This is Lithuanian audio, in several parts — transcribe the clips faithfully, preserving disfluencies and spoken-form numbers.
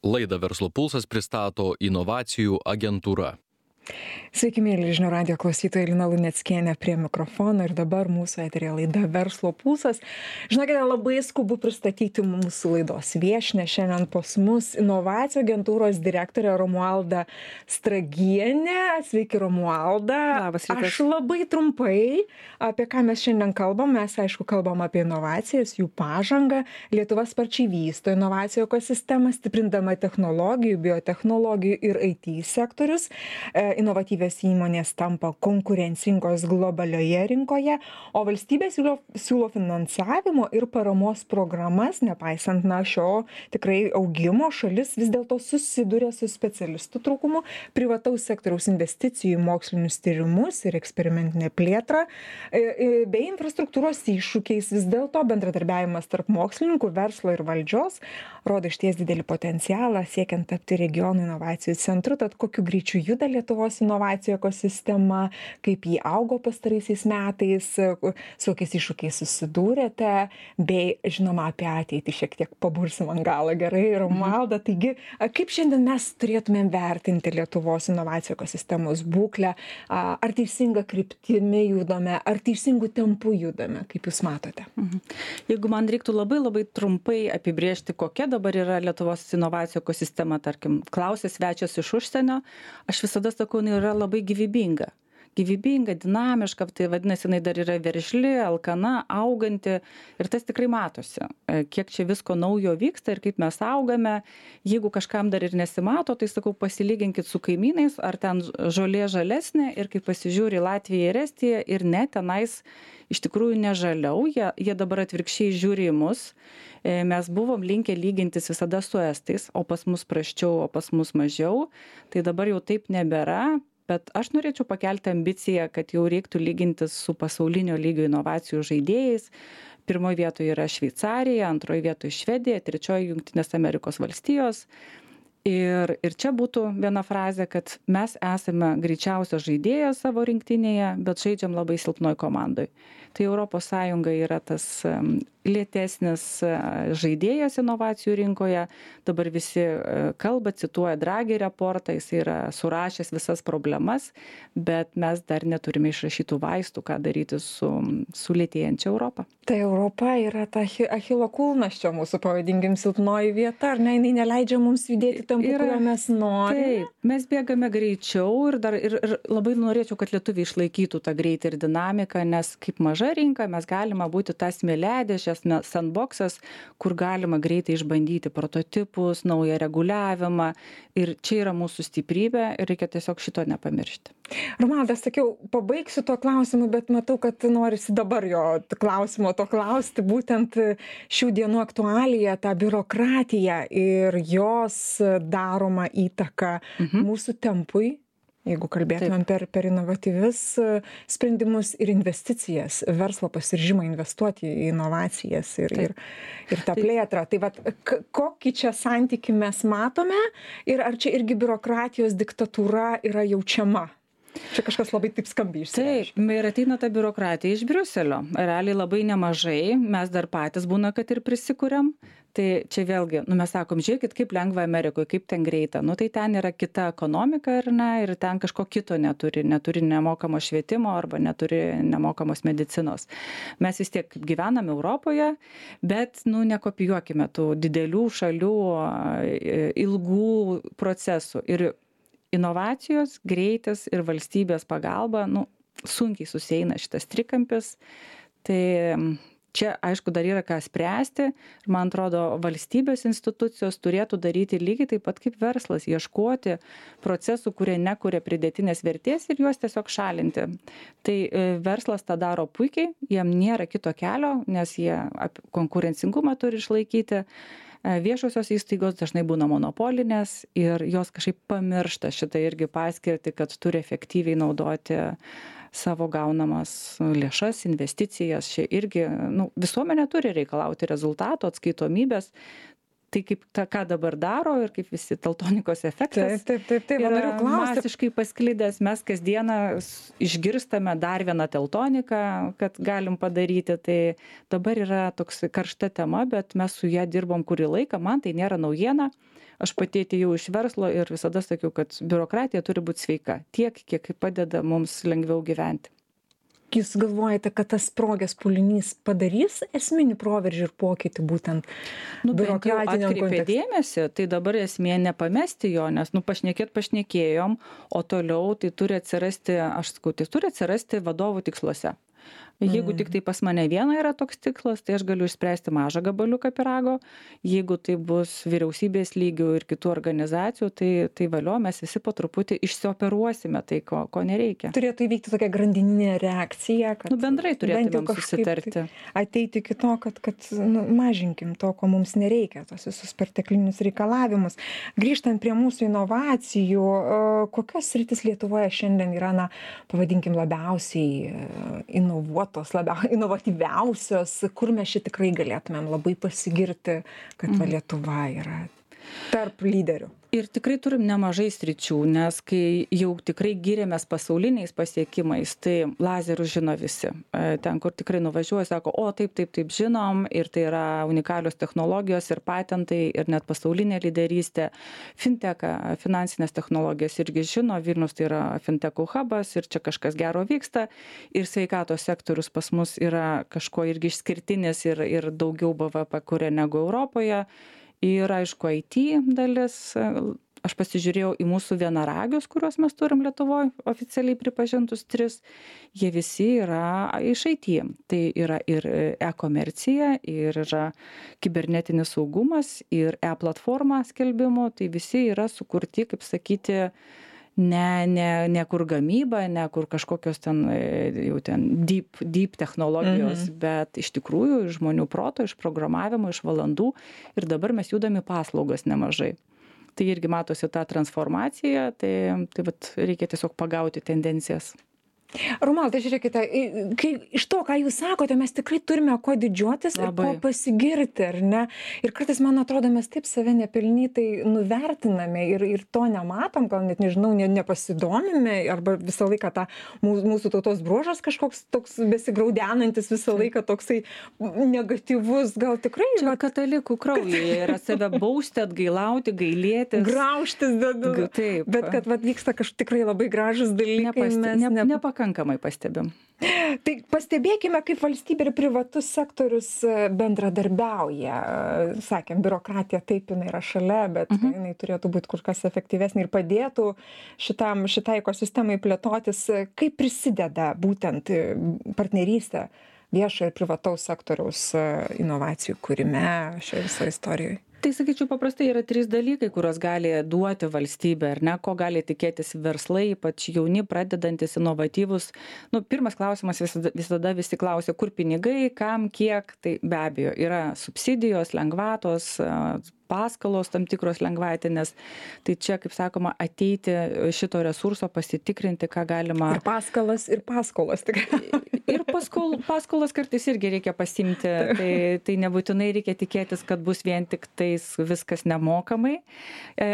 Laidą Verslo pulsas pristato inovacijų agentūra. Sveiki, mėly žinių radijo klausytojai, Lina Luneckienė prie mikrofono ir dabar mūsų eteryje laida Verslo pulsas. Žinokite, labai skubu pristatyti mūsų laidos viešnią. Šiandien pas mus inovacijų agentūros direktorė Romualda Stragienė. Sveiki, Romualda. Labas rytas. Aš labai trumpai, apie ką mes šiandien kalbam. Mes, aišku, kalbam apie inovacijas, jų pažangą. Lietuva sparčiai vysto inovacijų ekosistemą, stiprindama technologijų, biotechnologijų ir I T sektorius. Inovatyvios įmonės tampa konkurencingos globalioje rinkoje, o valstybė siūlo, siūlo finansavimo ir paramos programas, nepaisant na šio tikrai augimo, šalis vis dėlto susiduria su specialistų trūkumu, privataus sektoriaus investicijų į mokslinius tyrimus ir eksperimentinę plėtrą, bei infrastruktūros iššūkiais. Vis dėlto bendradarbiavimas tarp mokslininkų, verslo ir valdžios rodo išties didelį potencialą siekiant tapti regionų inovacijų centru. Tad kokiu greičiu juda Lietuvos inovacijų ekosistema, kaip jį augo pastaraisiais metais, su kokiais iššūkiais susidūrėte, bei žinoma apie ateitį šiek tiek pabursim ant galą. Gerai, Romualda, taigi kaip šiandien mes turėtumėm vertinti Lietuvos inovacijų ekosistemos būklę, ar teisinga kryptimi judame, ar teisingų tempų judame, kaip jūs matote? Jeigu man reiktų labai labai trumpai apibrėžti, kokia dabar yra Lietuvos inovacijų ekosistema, tarkim, klausė svečias iš užsienio, aš visada sakau, jinai yra labai gyvybinga. Gyvybinga, dinamiška, tai vadinasi, jinai dar yra veržli, alkana, auganti ir tas tikrai matosi. Kiek čia visko naujo vyksta ir kaip mes augame. Jeigu kažkam dar ir nesimato, tai sakau, pasilyginkit su kaimynais, ar ten žolė žalesnė ir kai pasižiūri Latviją ir Estiją ir ne, tenais iš tikrųjų nežaliau, jie, jie dabar atvirkščiai žiūri į mus. Mes buvom linkę lygintis visada su estais, o pas mus prasčiau, o pas mus mažiau. Tai dabar jau taip nebėra, bet aš norėčiau pakelti ambiciją, kad jau reiktų lygintis su pasaulinio lygio inovacijų žaidėjais. Pirmoje vietoje yra Šveicarija, antroje vietoje Švedija, trečioje Jungtinės Amerikos valstijos. Ir, ir čia būtų viena frazė, kad mes esame greičiausias žaidėjas savo rinktinėje, bet žaidžiam labai silpnoj komandoj. Tai Europos Sąjunga yra tas lėtesnis žaidėjas inovacijų rinkoje. Dabar visi kalba, cituoja Draghi reportą, jis yra surašęs visas problemas, bet mes dar neturime išrašytų vaistų, ką daryti su, su lėtėjančia Europa. Tai Europa yra ta Achilo kulnas čia mūsų, pavadinkim, silpnoji vieta, ar ne, jinai neleidžia mums judėti tempu, kuriuo mes norime? Taip, mes bėgame greičiau ir, dar, ir, ir labai norėčiau, kad lietuviai išlaikytų tą greitį ir dinamiką, nes kaip maža rinka mes galime būti tas smėliadėžės, sandboxas, kur galima greitai išbandyti prototipus, naują reguliavimą ir čia yra mūsų stiprybė ir reikia tiesiog šito nepamiršti. Romualda, sakiau, pabaigsiu to klausimu, bet matau, kad norisi dabar jo klausimo to klausti, būtent šių dienų aktualija, tą biurokratiją ir jos daroma įtaka mhm. mūsų tempui. Jeigu kalbėtumėm per, per inovatyvius sprendimus ir investicijas, verslo pasiryžimą investuoti į inovacijas ir, ir, ir tą plėtrą. Tai vat, kokį čia santykį mes matome ir ar čia irgi biurokratijos diktatūra yra jaučiama? Čia kažkas labai taip skambiai išsireiškia. Taip, ir ateina ta biurokratija iš Briuselio. Realiai labai nemažai, mes dar patys būna, kad ir prisikuriam. Tai čia vėlgi, nu mes sakom, žiūrėkit, kaip lengva Amerikoje, kaip ten greita. Nu tai ten yra kita ekonomika ir, na, ir ten kažko kito neturi, neturi nemokamo švietimo arba neturi nemokamos medicinos. Mes vis tiek gyvename Europoje, bet, nu, nekopijuokime tų didelių šalių ilgų procesų. Ir inovacijos, greitis ir valstybės pagalba, nu, sunkiai susieina šitas trikampis. Tai čia, aišku, dar yra ką spręsti. Ir man atrodo, valstybės institucijos turėtų daryti lygiai taip pat kaip verslas, ieškoti procesų, kurie nekuria pridėtinės vertės ir juos tiesiog šalinti. Tai verslas tą daro puikiai, jiem nėra kito kelio, nes jie konkurencingumą turi išlaikyti. Viešosios įstaigos dažnai būna monopolinės ir jos kažkaip pamiršta šitą irgi paskirtį, kad turi efektyviai naudoti savo gaunamas lėšas, investicijas. Čia irgi, nu, visuomenė turi reikalauti rezultato, atskaitomybės. Tai kaip ta, ką dabar daro ir kaip visi teltonikos efektas taip, taip, taip, yra masiškai pasklidęs. Mes kasdieną išgirstame dar vieną teltoniką, kad galim padaryti. Tai dabar yra toks karšta tema, bet mes su ją dirbom kurį laiką. Man tai nėra naujiena. Aš pati atėjau iš verslo ir visada sakiau, kad biurokratija turi būti sveika, tiek, kiek padeda mums lengviau gyventi. Jūs galvojate, kad tas sprogęs pūlinys padarys esminį proveržį ir pokytį būtent nu, biurokratiniam kontekste? Dėmesį, tai dabar esmė nepamesti jo, nes nu, pašnekėt pašnekėjom, o toliau tai turi atsirasti, aš sakau, tai turi atsirasti vadovų tiksluose. Jeigu tik tai pas mane viena yra toks tikslas, tai aš galiu išspręsti mažą gabaliuką pyrago. Jeigu tai bus vyriausybės lygių ir kitų organizacijų, tai, tai valio, mes visi po truputį išsioperuosime tai, ko, ko nereikia. Turėtų įvykti tokia grandininė reakcija, kad nu, bendrai turėtumėm susitarti. Ateiti iki to, kad, kad nu, mažinkim to, ko mums nereikia, tos visus perteklinius reikalavimus. Grįžtant prie mūsų inovacijų, kokios sritis Lietuvoje šiandien yra, na, pavadinkim, labiausiai inovuotos, labiau inovatyviausios, kur mes šį tikrai galėtumėm labai pasigirti, kad va, Lietuva yra tarp lyderių. Ir tikrai turim nemažai sričių, nes kai jau tikrai giriamės pasauliniais pasiekimais, tai lazerių žino visi. Ten, kur tikrai nuvažiuoja, sako, o taip, taip, taip žinom, ir tai yra unikalios technologijos ir patentai, ir net pasaulinė lyderystė. Fintechą, finansinės technologijas irgi žino, Vilnius tai yra fintechų hubas ir čia kažkas gero vyksta. Ir sveikatos sektorius pas mus yra kažko irgi išskirtinis ir, ir daugiau B V P kuria negu Europoje. Ir aišku, I T dalis, aš pasižiūrėjau į mūsų vienaragius, kuriuos mes turim Lietuvoje, oficialiai pripažintus tris, jie visi yra iš I T. Tai yra ir e-komercija, ir yra kibernetinis saugumas, ir e-platforma skelbimo, tai visi yra sukurti, kaip sakyti, ne, ne, ne kur gamyba, ne kur kažkokios ten, jau ten deep, deep technologijos, mhm. bet iš tikrųjų iš žmonių proto, iš programavimo, iš valandų ir dabar mes judame paslaugas nemažai. Tai irgi matosi ta transformacija, tai, tai vat, reikia tiesiog pagauti tendencijas. Romualda, žiūrėkite, kai iš to, ką jūs sakote, mes tikrai turime ko didžiuotis Labai. Ir ko pasigirti, ar ne? Ir kartais, man atrodo, mes taip save nepelnytai nuvertiname ir, ir to nematom, gal net nežinau, ne, nepasidomime, arba visą laiką tą mūsų, mūsų tautos bruožas kažkoks toks besigraudenantis, visą laiką toksai negatyvus, gal tikrai... Čia katalikų kraujyje yra save bausti, atgailauti, gailėtis. Graužtis, bet, taip. bet kad vat, vyksta kažkaip tikrai labai gražus dalykai. Nepasti, mes ne, nepakankamai. Pakankamai pastebim. Tai pastebėkime, kaip valstybė ir privatus sektorius bendradarbiauja. Sakėm, biurokratija taip, jinai yra šalia, bet uh-huh. jinai turėtų būti kur kas efektyvesnė ir padėtų šitam, šitai ekosistemai plėtotis. Kaip prisideda būtent partnerystė viešo ir privataus sektoriaus inovacijų kūrime šioje visoje istorijoje? Tai sakyčiau, paprastai yra trys dalykai, kuriuos gali duoti valstybė, ar ne, ko gali tikėtis verslai, ypač jauni, pradedantis, inovatyvus. Nu, pirmas klausimas visada, visada visi klausia, kur pinigai, kam, kiek, tai be abejo yra subsidijos, lengvatos, paskalos tam tikros lengvatinės. Tai čia, kaip sakoma, ateiti šito resurso, pasitikrinti, ką galima. Ir paskalas, ir paskolos. Ir paskol, paskolas kartais irgi reikia pasimti. Tai, tai nebūtinai reikia tikėtis, kad bus vien tik tais viskas nemokamai.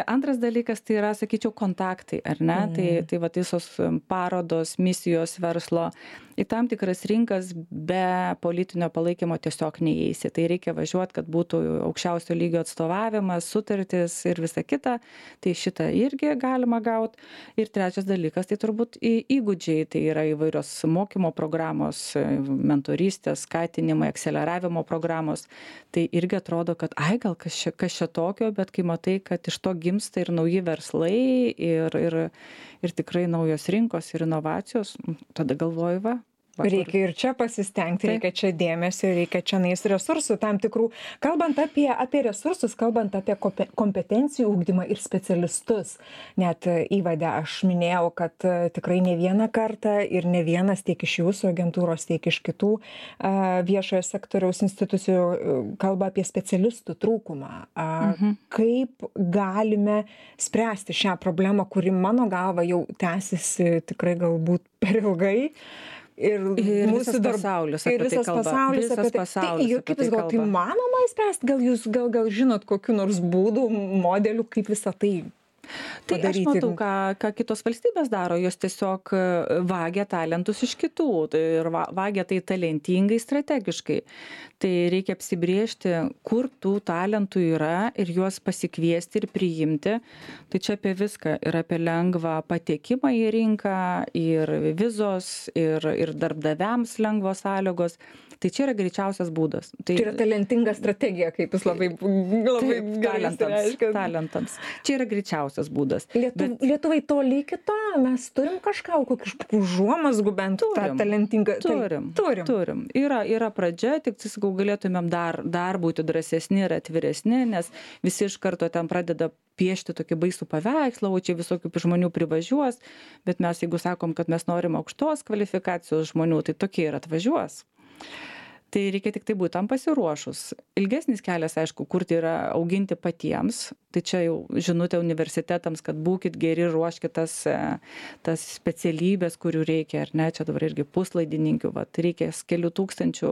Antras dalykas tai yra, sakyčiau, kontaktai, ar ne? Mm. Tai, tai va visos parodos, misijos verslo. Į tam tikras rinkas be politinio palaikymo tiesiog neįeisi. Tai reikia važiuoti, kad būtų aukščiausio lygio atstovavimas, sutartis ir visa kita. Tai šitą irgi galima gauti. Ir trečias dalykas, tai turbūt įgūdžiai. Tai yra įvairios mokymo programos, mentorystės, skatinimai, akceleravimo programos. Tai irgi atrodo, kad ai, gal kas čia, kas čia tokio, bet kai matai, kad iš to gimsta ir nauji verslai ir, ir, ir tikrai naujos rinkos ir inovacijos, tada galvoju, va. Reikia ir čia pasistengti, reikia čia dėmesio, reikia čia nais resursų tam tikrų. Kalbant apie, apie resursus, kalbant apie kompetencijų ugdymą ir specialistus, net įvade aš minėjau, kad tikrai ne vieną kartą ir ne vienas tiek iš jūsų agentūros, tiek iš kitų viešojo sektoriaus institucijų kalba apie specialistų trūkumą. Mhm. Kaip galime spręsti šią problemą, kuri mano galva jau tęsiasi tikrai galbūt per ilgai. Ir, ir mūsų visas pasaulis apie ir visas tai kalba. Pasaulis visas apie tai. pasaulis Tai, apie kaip tai jūs gal tai manoma įspręsti? Gal jūs gal, gal žinot kokiu nors būdų, modelių, kaip visą tai Tai padaryti? aš matau, ką, ką kitos valstybės daro, jos tiesiog vagia talentus iš kitų ir vagia tai talentingai, strategiškai. Tai reikia apsibriežti, kur tų talentų yra ir juos pasikviesti ir priimti. Tai čia apie viską. Ir apie lengvą patekimą į rinką, ir vizos, ir, ir darbdaviams lengvos sąlygos. Tai čia yra greičiausias būdas. Tai, tai yra talentinga strategija, kaip jūs labai, labai taip, gerai talentams, talentams. Čia yra greičiausias būdas. Lietu, Bet... Lietuvai toli iki to, mes turim kažką, kokių užuomazgų bent tą talentingą. Turim, turim. turim. Yra, yra pradžia, tik sakau, galėtumėm dar, dar būti drąsesni ir atviresni, nes visi iš karto ten pradeda piešti tokį baisų paveikslą, o čia visokių žmonių privažiuos, bet mes jeigu sakom, kad mes norim aukštos kvalifikacijos žmonių, tai tokie ir atvažiuos. Tai reikia tik tai būti tam pasiruošus. Ilgesnis kelias, aišku, kurti yra auginti patiems. Tai čia jau žinutė universitetams, kad būkit geri, ruoškit tas, tas specialybės, kurių reikia, ar ne, čia dabar irgi puslaidininkių, vat, reikia kelių tūkstančių,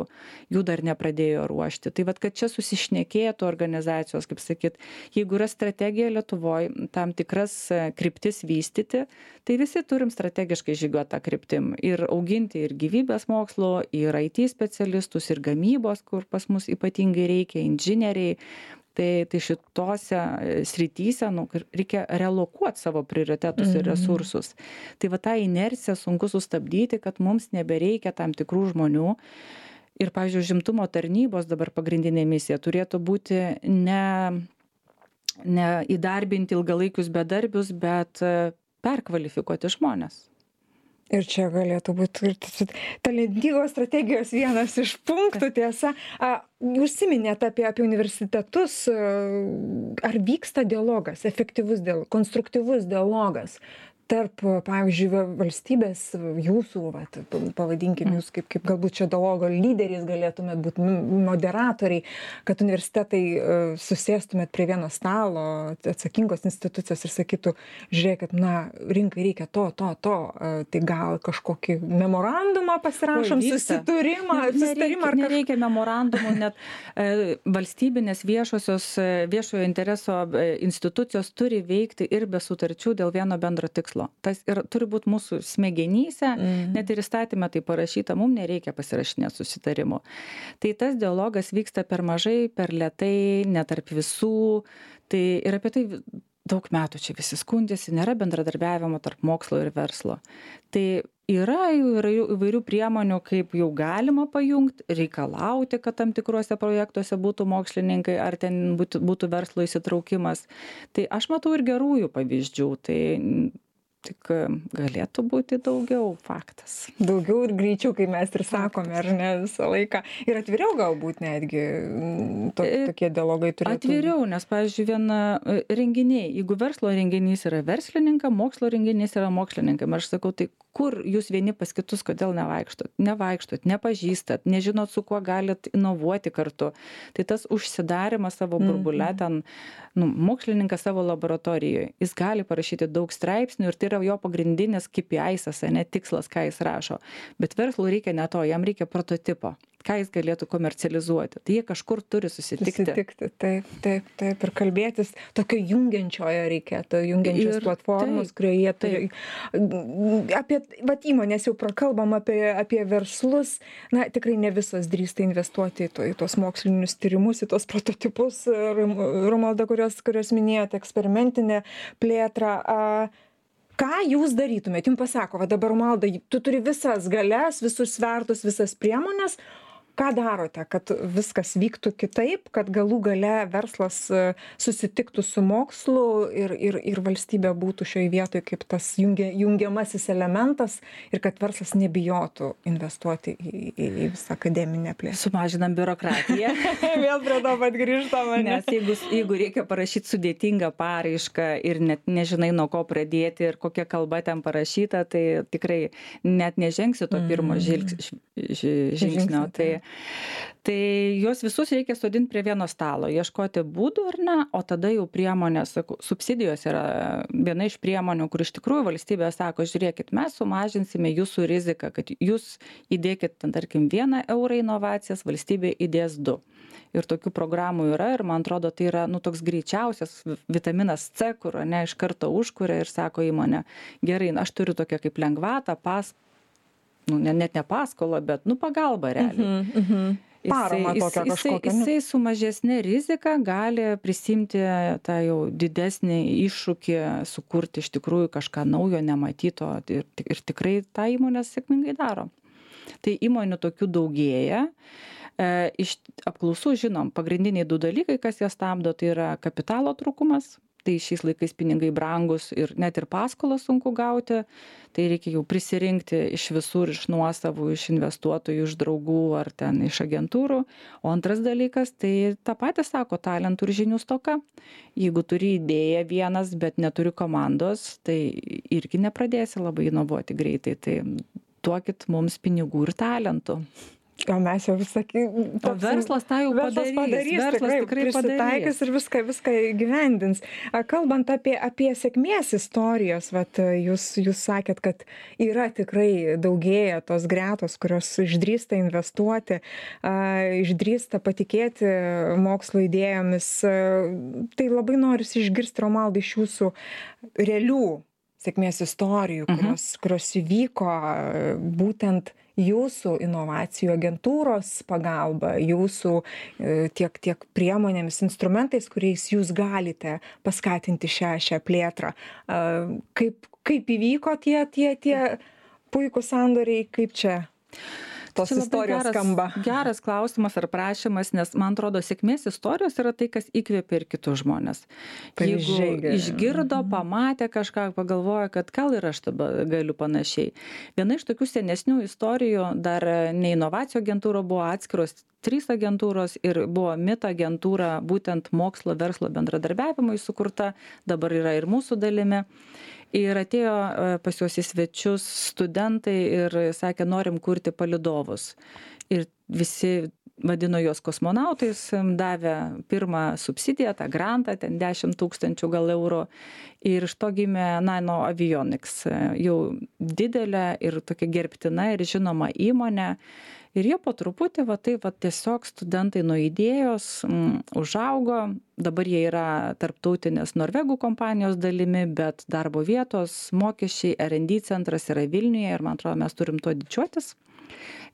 jų dar nepradėjo ruošti. Tai vat, kad čia susišnekėtų organizacijos, kaip sakyt, jeigu yra strategija Lietuvoje, tam tikras kryptis vystyti, tai visi turim strategiškai žygiuoti tą kryptim ir auginti ir gyvybės mokslo, ir I T specialistus, ir gamybos, kur pas mus ypatingai reikia, inžinieriai. Tai, tai šitose srityse nu, reikia relokuoti savo prioritetus ir resursus. Tai va tą inerciją sunku sustabdyti, kad mums nebereikia tam tikrų žmonių. Ir, pavyzdžiui, užimtumo tarnybos dabar pagrindinė misija turėtų būti ne, ne įdarbinti ilgalaikius bedarbius, bet perkvalifikuoti žmonės. Ir čia galėtų būti talentingos strategijos vienas iš punktų, tiesa. Užsiminėt apie, apie universitetus. Ar vyksta dialogas, efektyvus, dialogas, konstruktyvus dialogas tarp, pavyzdžiui, valstybės, jūsų, vat, pavadinkim jūs kaip, kaip galbūt čia dialogo lyderiais galėtumėt būti moderatoriai, kad universitetai susėstumėt prie vieno stalo, atsakingos institucijos ir sakytų, žiūrėkit, na, rinkai reikia to, to, to, tai gal kažkokį memorandumą pasirašom, susitarimą, susitarimą ar kažką. Nereikia memorandumų, net e, valstybinės viešosios, viešojo intereso institucijos turi veikti ir be sutarčių dėl vieno bendro tikslo. Tas ir turi būti mūsų smegenyse, mm. net ir įstatymė tai parašyta, mums nereikia pasirašinėti susitarimų. Tai tas dialogas vyksta per mažai, per lėtai, ne tarp visų. Tai ir apie tai daug metų čia visi skundėsi, nėra bendradarbiavimo tarp mokslo ir verslo. Tai yra įvairių priemonių, kaip jau galima pajungti, reikalauti, kad tam tikruose projektuose būtų mokslininkai, ar ten būtų, būtų verslo įsitraukimas. Tai aš matau ir gerųjų pavyzdžių. Tai tik galėtų būti daugiau, faktas. Daugiau ir greičiau, kai mes ir sakome, ar ne, visą laiką. Ir atviriau galbūt netgi to, tokie dialogai turėtų. Atviriau, nes, pavyzdžiui, viena renginiai, jeigu verslo renginys yra verslininkai, mokslo renginys yra mokslininkai, aš sakau, tai kur jūs vieni pas kitus, kodėl nevaikštot? Nevaikštot, nepažįstat, nežinot, su kuo galit inovuoti kartu. Tai tas užsidarimas savo burbule, ten, nu, mokslininkas savo laboratorijoje, jis gali parašyti daug straipsnių ir tai yra jo pagrindinis K P I-sas, ne tikslas, ką jis rašo. Bet verslui reikia ne to, jam reikia prototipo, ką jis galėtų komercializuoti. Tai jie kažkur turi susitikti. Susitikti, taip, taip, taip, ir kalbėtis tokio jungiančiojo reikėtų, jungiančios ir platformos, kurioje jie turi. Apie, vat įmonės jau prakalbam apie, apie verslus, na, tikrai ne visos drįsta investuoti į, to, į tos mokslinius tyrimus, į tos prototipus, Romualda, kurios, kurios minėjote, eksperimentinę plėtrą. Ką jūs darytumėt? Jums pasako, va dabar, Romualda, tu turi visas galias, visus svertus, visas priemonės. Ką darote, kad viskas vyktų kitaip, kad galų gale verslas susitiktų su mokslu ir, ir, ir valstybė būtų šioje vietoje kaip tas jungia, jungiamasis elementas ir kad verslas nebijotų investuoti į, į, į visą akademinę plėtrą? Sumažinam biurokratiją. Vėl prie to pat grįžtama. Nes jeigu, jeigu reikia parašyti sudėtingą paraišką ir net nežinai, nuo ko pradėti ir kokia kalba ten parašyta, tai tikrai net nežengsi to pirmo žvilgs, žingsnio. Tai Tai juos visus reikia sodinti prie vieno stalo, ieškoti būdų ar ne, o tada jau priemonės, subsidijos yra viena iš priemonių, kur iš tikrųjų valstybė sako, žiūrėkit, mes sumažinsime jūsų riziką, kad jūs įdėkit, tarkim, vieną eurą inovacijas, valstybė įdės du. Ir tokių programų yra ir man atrodo, tai yra nu, toks greičiausias vitaminas C, kur ne iš karto užkuria ir sako įmonė, gerai, aš turiu tokią kaip lengvatą, pas, nu, net ne paskolą, bet nu, pagalbą realiai. Uh-huh, uh-huh. paramą tokią jisai, kažkokią. jisai su mažesnė rizika gali prisimti tą jau didesnį iššūkį, sukurti iš tikrųjų kažką naujo, nematyto ir, ir tikrai tą įmonę sėkmingai daro. Tai įmonių tokių daugėja. E, iš apklausų žinom, pagrindiniai du dalykai, kas jas stabdo, tai yra kapitalo trūkumas. Tai šiais laikais pinigai brangus ir net ir paskolą sunku gauti, tai reikia jau prisirinkti iš visur, iš nuosavų, iš investuotojų, iš draugų ar ten iš agentūrų. O antras dalykas, tai tą patį sako, talentų ir žinių stoka. Jeigu turi idėją vienas, bet neturi komandos, tai irgi nepradėsi labai inovuoti greitai. Tai duokit mums pinigų ir talentų. O mes jau visakį... O verslas tą jau verslas padarys. padarys. Verslas tikrai, tikrai prisitaikys ir viską, viską gyvendins. Kalbant apie, apie sėkmės istorijos, vat, jūs, jūs sakėt, kad yra tikrai daugėja tos gretos, kurios išdrįsta investuoti, išdrįsta patikėti mokslo idėjomis. Tai labai norisi išgirsti, Romaldai, iš jūsų realių sėkmės istorijų, kurios, mhm. kurios įvyko būtent jūsų inovacijų agentūros pagalba, jūsų tiek, tiek priemonėmis, instrumentais, kuriais jūs galite paskatinti šią, šią plėtrą. Kaip, kaip įvyko tie, tie, tie puikūs sandoriai, kaip čia tos Čia istorijos geras, skamba? Geras klausimas ar prašymas, nes man atrodo, sėkmės istorijos yra tai, kas įkvėpia ir kitus žmonės. Jeigu išgirdo, pamatė kažką, pagalvoja, kad gal ir aš dabar galiu panašiai. Viena iš tokių senesnių istorijų, dar ne inovacijų agentūra, buvo atskiros trys agentūros ir buvo MIT agentūra, būtent mokslo verslo bendradarbiavimui sukurta, dabar yra ir mūsų dalimi. Ir atėjo pas juos į svečius studentai ir sakė, norim kurti palydovus. Ir visi vadino juos kosmonautais, davė pirmą subsidiją, tą grantą, ten dešimt tūkstančių gal eurų. Ir iš to gimė Nano Avionics, jau didelė ir tokia gerbtina ir žinoma įmonė. Ir jie po truputį, va tai va tiesiog studentai nuo idėjos m, užaugo, dabar jie yra tarptautinės Norvegų kompanijos dalimi, bet darbo vietos, mokesčiai, R and D centras yra Vilniuje ir man atrodo, mes turim tuo didžiuotis.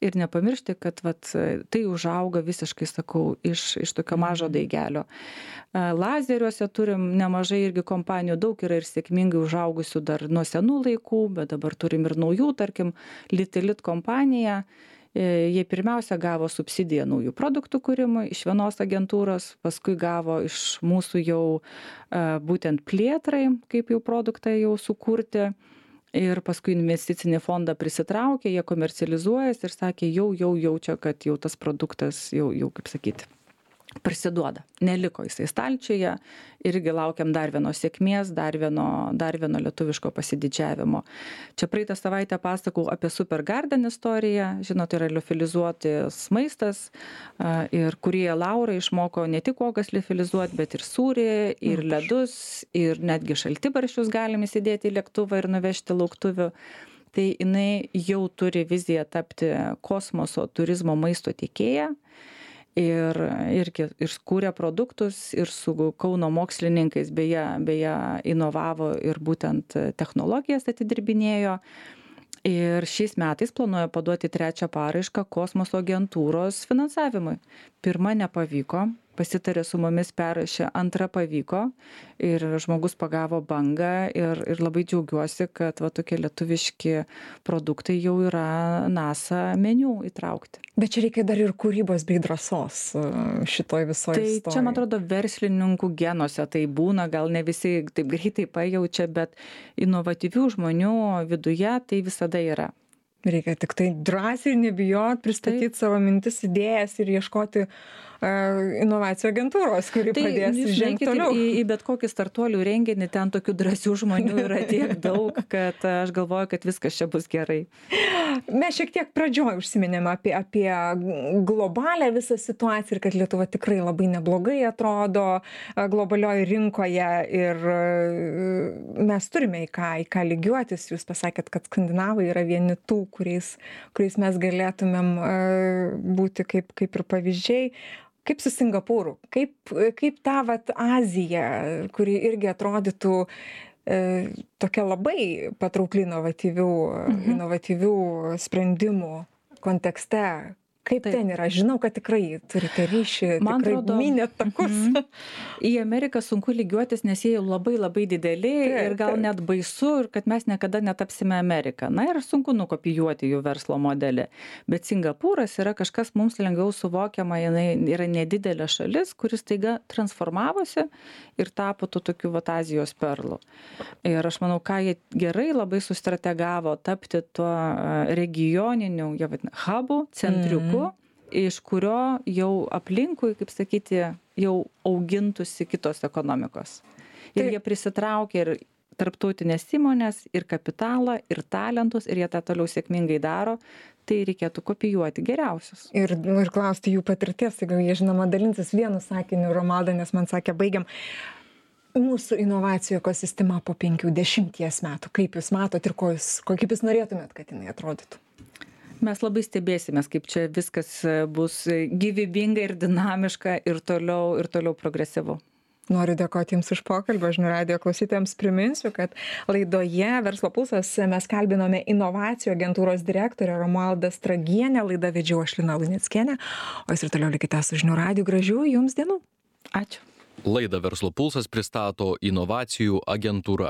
Ir nepamiršti, kad vat, tai užauga visiškai, sakau, iš, iš tokio mažo daigelio. Lazeriuose turim nemažai irgi kompanijų, daug yra ir sėkmingai užaugusių dar nuo senų laikų, bet dabar turim ir naujų, tarkim, Litilit kompanija. Jie pirmiausia gavo subsidiją naujų produktų kūrimui iš vienos agentūros, paskui gavo iš mūsų jau būtent plėtrai, kaip jau produktą jau sukurti. Ir paskui investicinį fondą prisitraukė, jie komercializuojasi ir sakė, jau, jau jaučia, kad jau tas produktas jau, jau kaip sakyti, prisiduoda. Neliko jisai stalčiuje, irgi laukiam dar vienos sėkmės, dar vieno, dar vieno lietuviško pasididžiavimo. Čia praeitą savaitę pasakau apie Supergarden istoriją, žinot, yra liofilizuotis maistas ir kurie Laura išmoko ne tik uogas liofilizuoti, bet ir sūrį, ir ledus, ir netgi šaltibarščius galim įsidėti į lėktuvą ir nuvežti lauktuvių. Tai jinai jau turi viziją tapti kosmoso turizmo maisto tiekėja. Ir irgi ir kūrė produktus ir su Kauno mokslininkais beje, beje inovavo ir būtent technologijas atidirbinėjo. Ir šiais metais planuoja paduoti trečią paraišką kosmoso agentūros finansavimui. Pirma nepavyko, pasitarė su mumis, perrašė, antra pavyko ir žmogus pagavo bangą ir, ir labai džiaugiuosi, kad va, tokie lietuviški produktai jau yra NASA meniu įtraukti. Bet čia reikia dar ir kūrybos bei drąsos šitoj visoje tai istorijoje. Čia, man atrodo, verslininkų genuose tai būna, gal ne visi taip greitai pajaučia, bet inovatyvių žmonių viduje tai visada yra. Reikia tik tai drąsiai nebijot, pristatyti taip savo mintis, idėjas ir ieškoti inovacijų agentūros, kuri tai, padės žengti toliau. Į, į bet kokį startuolių renginį, ten tokių drąsių žmonių yra tiek daug, kad aš galvoju, kad viskas čia bus gerai. Mes šiek tiek pradžioj užsiminėme apie, apie globalią visą situaciją ir kad Lietuva tikrai labai neblogai atrodo globalioje rinkoje ir mes turime į ką, į ką lygiuotis. Jūs pasakėt, kad skandinavai yra vieni tų, kuriais, kuriais mes galėtumėm būti kaip, kaip ir pavyzdžiai. Kaip su Singapūru? Kaip, kaip ta vat Azija, kuri irgi atrodytų e, tokia labai patraukli inovatyvių, mhm. inovatyvių sprendimų kontekste? Kaip Taip. ten yra? Žinau, kad tikrai turite ryšį, Man tikrai atrodo, minėt takus. mhm. Į Ameriką sunku lygiuotis, nes jie jau labai labai dideli Taip, ir gal taip. net baisu, ir kad mes niekada netapsime Amerika. Na ir sunku nukopijuoti jų verslo modelį. Bet Singapūras yra kažkas mums lengviau suvokiama, jinai yra nedidelė šalis, kuris taiga transformavosi ir tapo tų tokių vat Azijos perlų. Ir aš manau, ką jie gerai labai sustrategavo tapti tuo e, regioniniu, jie vadina, hubu, centriuku, Mhm. iš kurio jau aplinkui, kaip sakyti, jau augintųsi kitos ekonomikos. Ir Tai- jie prisitraukė ir tarptautinės įmonės, ir kapitalą, ir talentus, ir jie tą toliau sėkmingai daro, tai reikėtų kopijuoti geriausius. Ir, nu, ir klausti jų patirties, tai gal jie žinoma dalinsis vienu sakiniu, Romalda, nes man sakė, baigiam. Mūsų inovacijų ekosistema po penkių dešimties metų. Kaip jūs matot ir ko jūs, ko, kaip jūs norėtumėt, kad jinai atrodytų? Mes labai stebėsimės, kaip čia viskas e, bus e, gyvybinga ir dinamiška ir toliau, ir toliau progresyvu. Noriu dėkoti Jums už pokalbį. Žinių radijo klausytojams priminsiu, kad laidoje Verslo pulsas mes kalbinome inovacijų agentūros direktorę Romualdą Stragienę. Laidą vedžiau aš Lina Luneckienė. O jūs ir toliau likite su Žinių radiju. Gražių Jums dienų. Ačiū. Laidą Verslo pulsas pristato inovacijų agentūra.